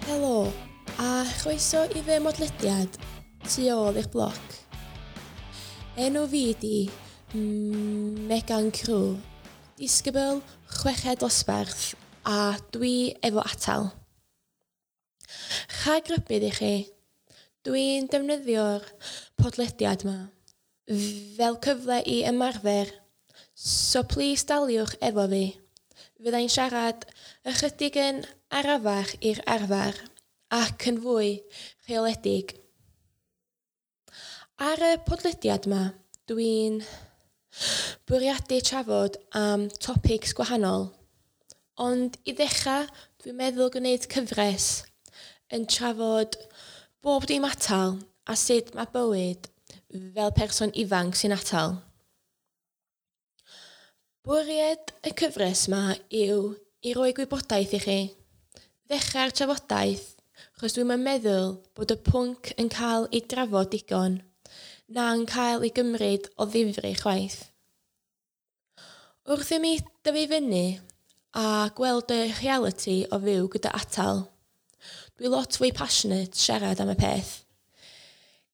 Helo, a chroeso i fy modlediad tu ôl i'r bloc. Enw fi di Megan Crew, disgybl chweched dosbarth a dwi efo atal. Rhag rybudd i chi, dwi'n defnyddio'r podlediad yma fel cyfle i ymarfer, so plis daliwch efo fi. Fyddai'n siarad ychydig yn arafach i'r arfer ac yn fwy rheoledig. Ar y podlediad yma, dwi'n bwriadu trafod am topics gwahanol, ond i ddechrau dwi'n meddwl gwneud cyfres yn trafod bob dim atal a sut mae bywyd fel person ifanc sy'n atal. Bwriad y cyfres yma yw i roi gwybodaeth i chi, ddechrau'r trafodaeth, achos dwi'm yn meddwl bod y pwnc yn cael ei drafod digon, na'n cael ei gymryd o ddifri chwaith. Wrth i mi dyfu fyny a gweld y reality o fyw gyda atal, dwi lot fwy passionate siarad am y peth.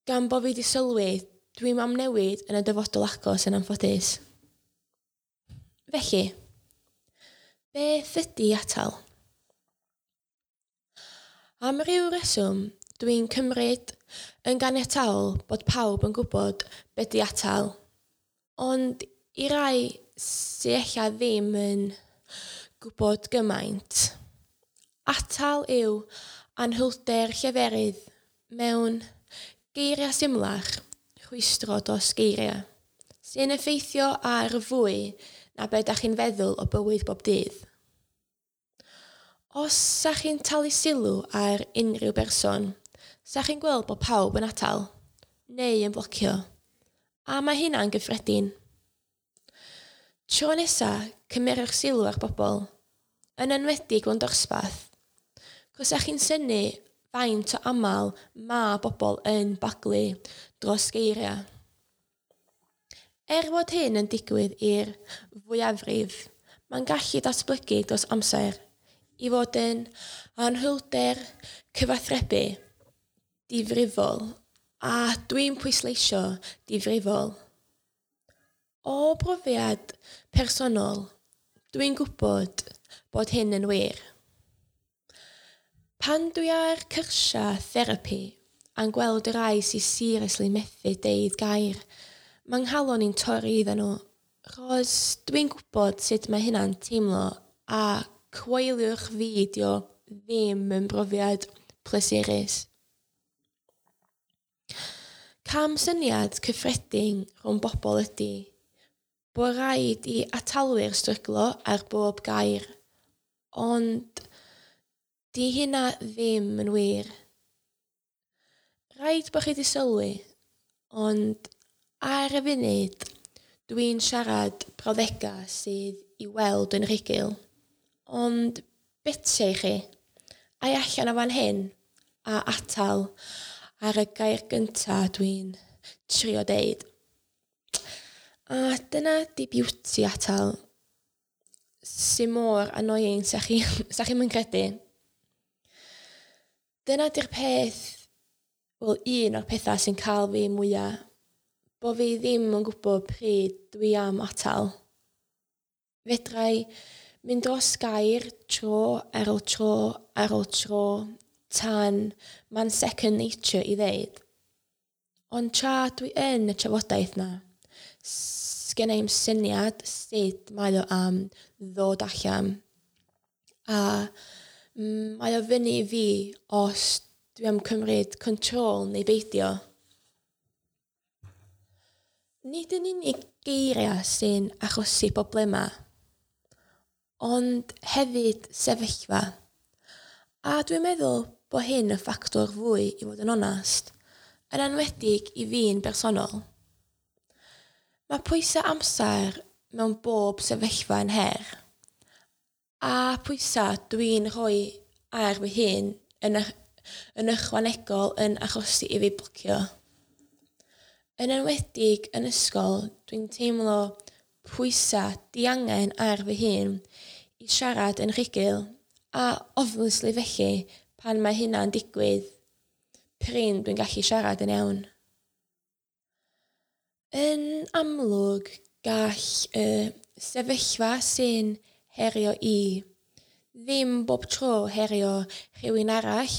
Gan bo fi di sylwi, dwi'm am newid yn y dyfodol agos yn anffodus. Felly, beth ydy atal? Am ryw reswm, dwi'n cymryd yn ganiataol bod pawb yn gwybod be di atal, ond i rai sy ella ddim yn gwybod gymaint, atal yw anhwylder lleferydd mewn geiriau symlach, rhwystro dros geiriau, sy'n effeithio ar fwy na be da chi'n feddwl o bywyd bob dydd. Os sa chi'n talu sylw ar unrhyw berson, sa chi'n gweld bod pawb yn atal, neu yn blocio, a mae hynna'n gyffredin. Tro nesa, cymerwch sylw ar bobl, yn enwedig mewn dosbarth, cos sa chi'n synnu faint o aml ma bobl yn baglu dros geiriau. Er fod hyn yn digwydd i'r fwyafrif, mae'n gallu datblygu dros amser i fod yn anhwylder cyfathrebu difrifol, a dwi'n pwysleisio difrifol. O brofiad personol, dwi'n gwybod bod hyn yn wir. Pan dwi ar cyrsiau therapi a'n gweld y rai sy'n seriously methu deud gair, mae'n nghalon i'n torri iddyn nhw, achos dwi'n gwybod sut mae hynna'n teimlo a coeliwch fi dio ddim yn brofiad pleserus. Cam syniad cyffredin rhwng bobl ydy bod rhaid i atalwyr stryglo ar bob gair, ond di hynna ddim yn wir. Rhaid bod chi di sylwi, ond ar y funud, dwi'n siarad brawddegau sydd i weld yn rhugl, ond betia i chi, ai allan o fan hyn a atal ar y gair gynta dwi'n trio deud. A dyna di beauty atal, sy'n mor annoying sa chi, sa chi'm yn credu. Dyna di'r peth, wel un o'r pethau sy'n cael fi mwyaf, bo fi ddim yn gwybod pryd dwi am atal. Fedrai mynd dros gair tro ar ôl tro ar ôl tro tan ma'n second nature i ddeud. Ond tra dwi yn y trafodaeth na, sgenna i'm syniad sut mae o am ddod allan. A mae o fyny i fi os dwi am cymryd control neu beidio. Nid yn unig geiriau sy'n achosi problemau, ond hefyd sefyllfa. A dwi'n meddwl bod hyn yn ffactor fwy i fod yn onast, yn enwedig i fi'n bersonol. Mae pwysau amser mewn bob sefyllfa yn her, a pwysau dwi'n rhoi ar fy hun yn ychwanegol yn achosi i fi blocio. Yn enwedig yn ysgol, dwi'n teimlo pwysau diangen ar fy hun i siarad yn rhugl, a obviously felly Pan mae hynna'n digwydd, prin dwi'n gallu siarad yn iawn. Yn amlwg, gall y sefyllfa sy'n herio i ddim bob tro herio rhywun arall.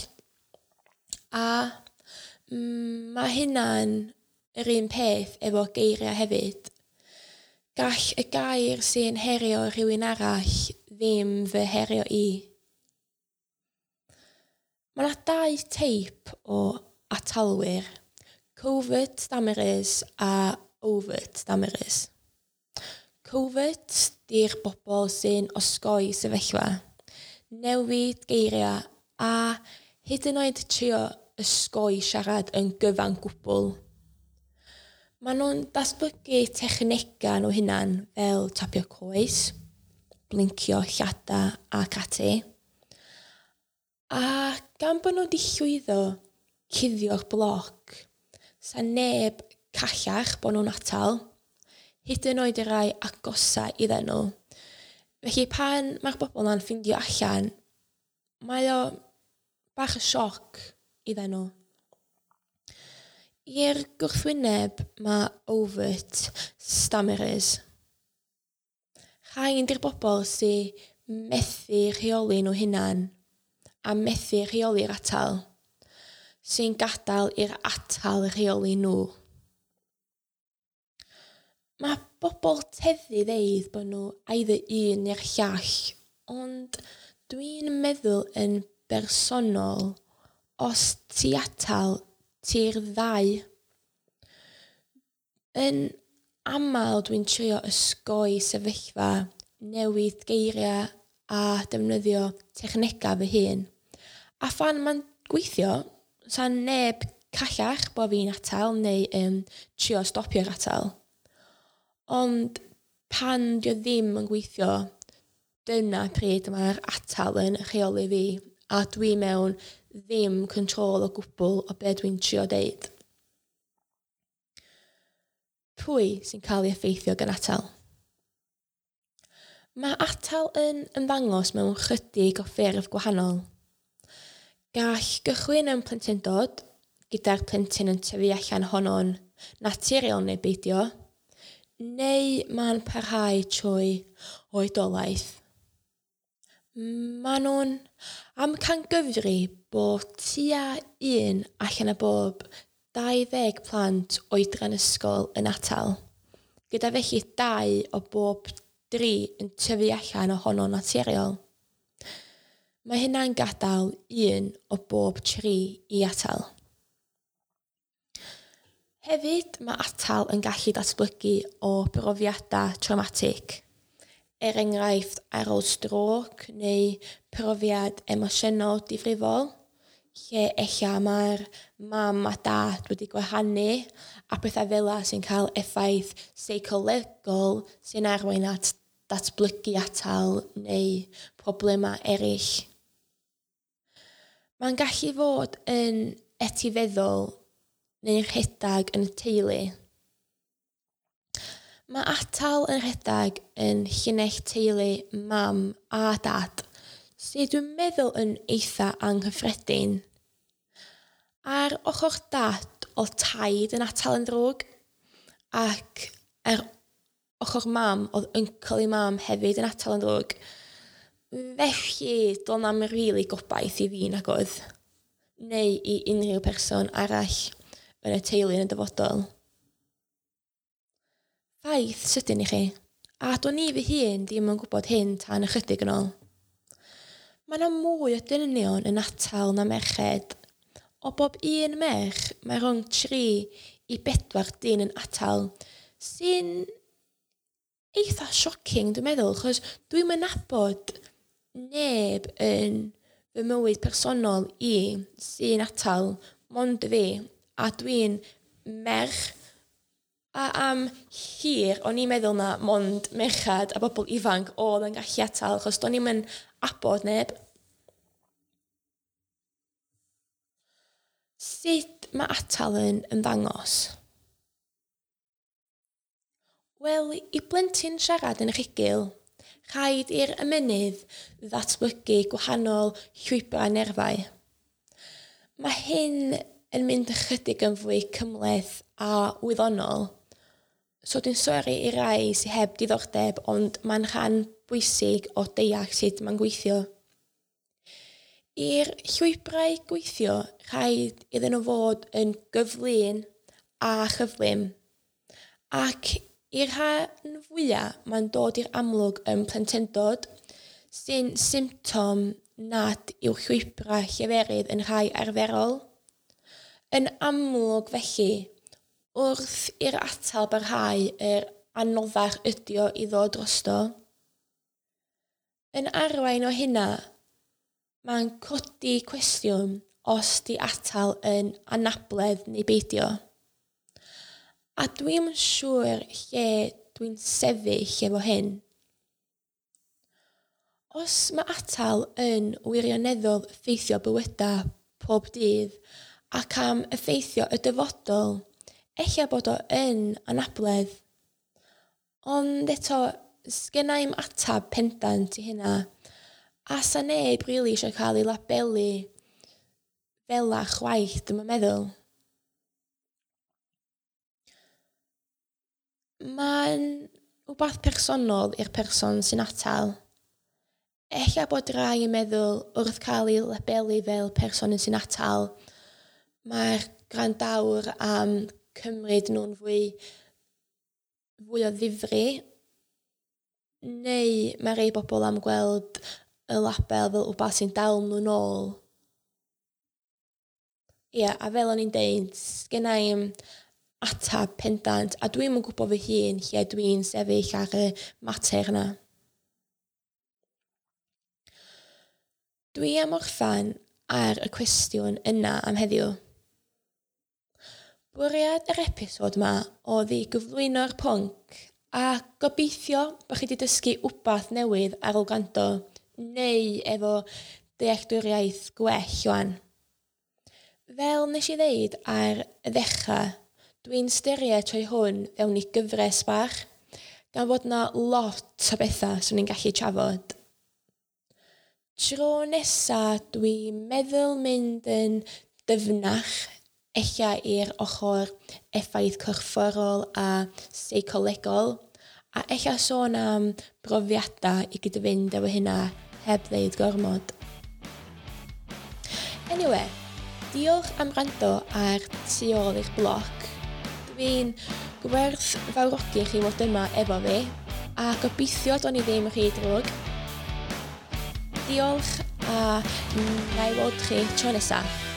A mae hynna'n yr un peth efo geiriau hefyd. Gall y gair sy'n herio rhywun arall ddim fy herio i. Mae yna dau teip o atalwyr, covert stammerers a overt stammerers. Covert di'r bobl sy'n osgoi sefyllfa, newid geiriau a hyd yn oed trio osgoi siarad yn gyfan gwbl. Maen nhw'n datblygu technegau nhw hunan fel tapio coes, blincio llada ac ati. A gan bod nhw wedi llwyddo cuddio'r bloc, sa neb callach bod nhw'n atal, hyd yn oed y rai agosa iddyn nhw. Felly pan mae'r bobl yna'n ffindio allan, mae o bach o sioc iddyn nhw. I'r gwrthwyneb mae overt stammerers. Rhain di'r bobl sy'n methu rheoli nhw hunan a methu rheoli'r atal, sy'n gadael i'r atal rheoli nhw. Mae bobl teddu ddeud bod nhw either un neu'r llall, ond dwi'n meddwl yn bersonol, os ti atal, ti'r ddau. Yn aml dwi'n trio osgoi sefyllfa, newid geiriau a defnyddio technegau fy hun. A phan mae'n gweithio, sa neb callach bod fi'n atal neu trio stopio'r atal. Ond pan dio ddim yn gweithio, dyna pryd mae'r atal yn rheoli fi a dwi mewn ddim control o gwbl o be dwi'n trio deud. Pwy sy'n cael ei effeithio gan atal? Mae atal yn ymddangos mewn chydig o ffurf gwahanol. Gall gychwyn yn plentyndod, gyda'r plentyn yn tyfu allan honno'n naturiol neu beidio, neu mae'n parhau trwy oedolaeth. Maen nhw'n amcangyfri bod tua 1 allan o bob 20 plant oedran ysgol yn atal, gyda felly 2 o bob 3 yn tyfu allan ohono'n naturiol. Mae hynna'n gadael 1 o bob 3 i atal. Hefyd, mae atal yn gallu datblygu o brofiadau traumatic, er enghraifft ar ôl strôc neu profiad emosiynol difrifol, lle ella mae'r mam a dad wedi gwahanu a pethau fel 'na sy'n cael effaith seicolegol sy'n arwain at datblygu atal neu problemau eraill. Mae'n gallu fod yn etifeddol neu'n rhedeg yn y teulu. Mae atal yn rhedeg yn llinell teulu mam a dad, sydd dwi'n meddwl yn eitha anghyffredin. Ar ochr dad, oedd taid yn atal yn ddrwg, ac ar ochr mam, oedd uncle i mam hefyd yn atal yn ddrwg. Felly, doedd na'm rili gobaith i fi nag oedd, neu i unrhyw person arall yn y teulu yn y dyfodol. Ffaith sydyn i chi, a do'n i fy hun ddim yn gwybod hyn tan ychydig yn ôl. Mae yna mwy o dynion yn atal na merched. O bob un merch, mae rhwng 3 i 4 dyn yn atal, sy'n eitha shocking dwi'n meddwl, achos dwi'm yn nabod neb yn fy mywyd personol i sy'n atal mond fi, a dwi'n merch. A am hir, o'n i'n meddwl na mond merched a bobl ifanc oedd yn gallu atal, achos do'n i'm yn abod neb. Sut mae atal yn ymddangos? Wel, i blentyn siarad yn rhugl, rhaid i'r ymennydd ddatblygu gwahanol llwybrau nerfau. Mae hyn yn mynd ychydig yn fwy cymhleth a wyddonol, so dwi'n sori i rai sydd heb diddordeb, ond mae'n rhan bwysig o deall sut mae'n gweithio. I'r llwybrau gweithio, rhaid iddyn nhw fod yn gyflym a chyflym, ac i'r rhan fwyaf mae'n dod i'r amlwg yn plentyndod, sy'n symptom nad yw llwybrau lleferydd yn rhai arferol. Yn amlwg felly, wrth i'r atal barhau yr anoddach ydi o i ddod drosto. Yn arwain o hynna, mae'n codi cwestiwn os di atal yn anabledd neu beidio. A dwi'm yn siŵr lle dwi'n sefyll efo hyn. Os mae atal yn wirioneddol effeithio bywydau pob dydd ac am effeithio y dyfodol, ella bod o yn anabledd. Ond eto, sgenna i'm atab pendant i hynna, a sa neb rili eisiau cael ei labelu fela chwaith, dwi'm yn meddwl. Mae'n wbath personol i'r person sy'n atal. Ella bod rai yn meddwl wrth cael ei labelu fel person sy'n atal, mae'r gwrandawr am cymryd nhw'n fwy o ddifri, neu mae rhai bobl am gweld y label fel wbath sy'n dal nhw nôl. Ia, a fel o'n i'n deud, sgenna i'm atab pendant, a dwi'm yn gwybod fy hun lle dwi'n sefyll ar y mater yna. Dwi am orffan ar y cwestiwn yna am heddiw. Bwriad yr episod yma oedd i gyflwyno'r pwnc a gobeithio bod chi wedi dysgu wbath newydd ar ôl gwrando neu efo dealltwriaeth gwell wan. Fel nes i ddeud ar y ddechrau, dwi'n styried troi hwn fewn i gyfres bach, gan fod na lot o bethau swn i'n gallu trafod. Tro nesa dwi'n meddwl mynd yn dyfnach, ella i'r ochr effaith corfforol a seicolegol, a ella sôn am brofiadau i gyd-fynd efo hynna heb ddeud gormod. Anyway, diolch am wrando ar Tu ôl i'r bloc. Dwi'n gwerthfawrogi chi fod yma efo fi, a gobeithio do'n i ddim rhy drwg. Diolch a na i weld chi tro nesaf.